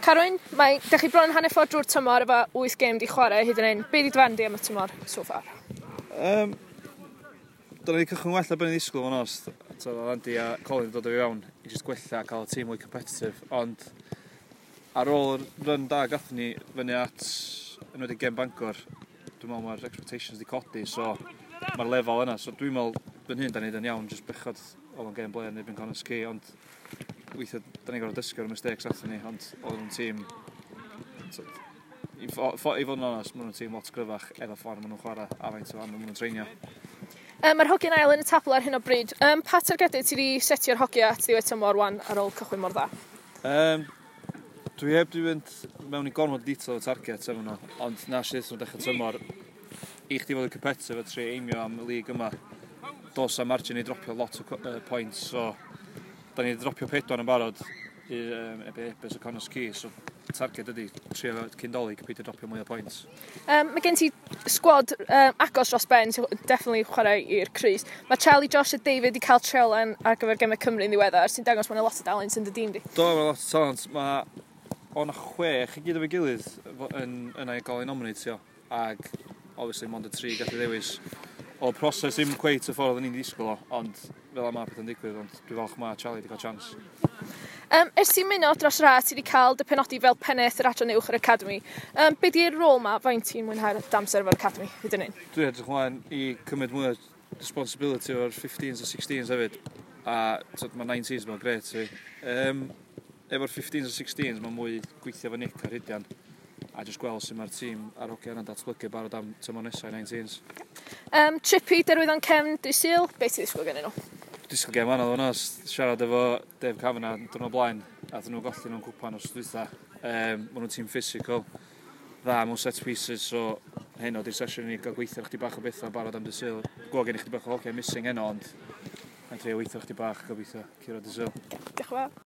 Carwyn, mae, da chi bron hanner ffordd drwy'r tymor efo 8 gêm di chwarae hyd yn hyn. Be di dy farn di am y tymor so far? Dyna ni cychwyn well na ben i ddisgwyl fo'n onest. So, Andy a Colin dod o fi fewn i just gwella a cael y tîm mwy competitive. Ond ar ôl yr run da gathon ni fyny at yn wedi gêm Bangor, dwi'n meddwl mae'r expectations di codi, so mae'r lefel yna. So dwi'n meddwl fan hyn da ni'n yn iawn, just bechod oedd o'n gêm blaen yn erbyn Connah's Quay, ond weithiau da ni'n gorfod dysgu o'r mistakes athyn ni, ond oedd nhw'n tîm, i fod yn onest, maen nhw'n tîm lot gryfach efo ffordd maen nhw'n chwarae a faint o aml maen nhw'n treinio. Mae'r hogiau'n ail yn y tabl ar hyn o bryd. Pa targedau ti wedi setio'r hogiau at ddiwedd tymor wan ar ôl cychwyn mor dda? Dwi heb di fynd mewn i gormod o detail o target efo nhw, ond na sydd nhw'n dechrau tymor, i chdi fod yn competitive a trio aimio am y lig yma, dos am margin i dropio lot o points, so da ni wedi dropio 4 yn barod i Ebus a Connah's Quay, so target ydy trio cyn Dolig peidio dropio mwy o points. Mae gen ti sgwad agos dros ben sy'n definitely chwarae i'r crys. Mae Charlie, Josh a David wedi cael treialan ar gyfer Gemau Cymru yn ddiweddar, sy'n dangos bod yna lot o dalent yn dy dîm di. Do, mae lot o talent. Mae o'na 6 i gyd efo'i gilydd yn yna i gael ei nominatio, ag obviously mond y 3 gallu ddewis. O'r proses ddim cweit y ffordd oedden ni'n ddisgwyl o, ond fel yma pethau'n digwydd, ond dwi'n falch mae Charlie wedi cael chance. Ers ti'n mynd dros yr ha, ti wedi cael dy penodi fel pennaeth yr adran uwch yr Academy. Be di'r rôl ma, faint ti'n mwynhau'r damser efo'r Academy hyd yn hyn? Dwi'n edrych ymlaen i cymryd mwy o responsibility o'r 15s a 16s hefyd. A so, mae 19s mae'n grêt i. Efo'r 15s a 16s mae mwy gweithio efo Nick a Rhydian a jyst gweld sut mae'r tîm a'r hogia yna'n datblygu barod am tymor nesaf i 19s. Trip i Derwyddon Cefn dydd Sul, beth ti'n ddisgwyl gen nhw? Disgwyl gêm anodd o'n onest, siarad efo Dave Kavanagh dwrnod blaen, a nhw golli nhw'n cwpan os dwytha. Maen nhw'n tîm physical, dda mewn set pieces, so heno di'r sesiwn i ni gael gweithio chdi bach o bethau barod am dydd Sul. Gweld gen i chdi bach o hogia missing heno, ond mae'n trio weithio chdi bach gobeithio curo dydd Sul. Diolch yn fawr.